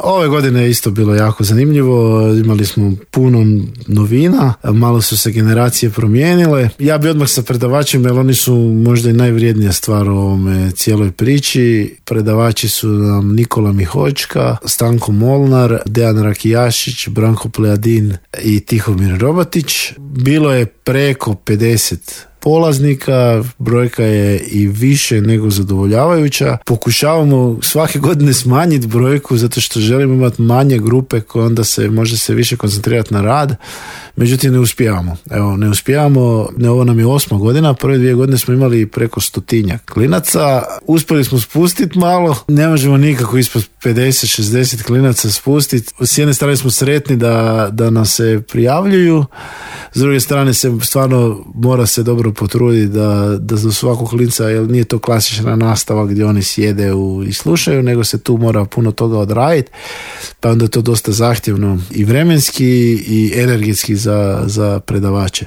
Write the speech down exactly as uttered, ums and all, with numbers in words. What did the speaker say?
Ove godine je isto bilo jako zanimljivo, imali smo puno novina, malo su se generacije promijenile. Ja bi odmah sa predavačima, jer oni su možda i najvrijednija stvar u ovome cijeloj priči. Predavači su nam Nikola Mihočka, Stanko Molnar, Dejan Rakijašić, Branko Plejadin i Tihomir Robatić. Bilo je preko pedeset polaznika, brojka je i više nego zadovoljavajuća. Pokušavamo svake godine smanjiti brojku zato što želimo imati manje grupe koje onda se može se više koncentrirati na rad. Međutim, ne uspijevamo. Evo, ne uspijevamo, ne, ovo nam je osma godina, prve dvije godine smo imali preko stotinjak klinaca. Uspjeli smo spustiti malo, ne možemo nikako ispod pedeset šezdeset klinaca spustiti. S jedne strane smo sretni da, da nas se prijavljuju, s druge strane se stvarno mora se dobro potruditi da, da za svakog klinca, jer nije to klasična nastava gdje oni sjede u, i slušaju, nego se tu mora puno toga odraditi, pa onda je to dosta zahtjevno i vremenski i energetski za, za predavače.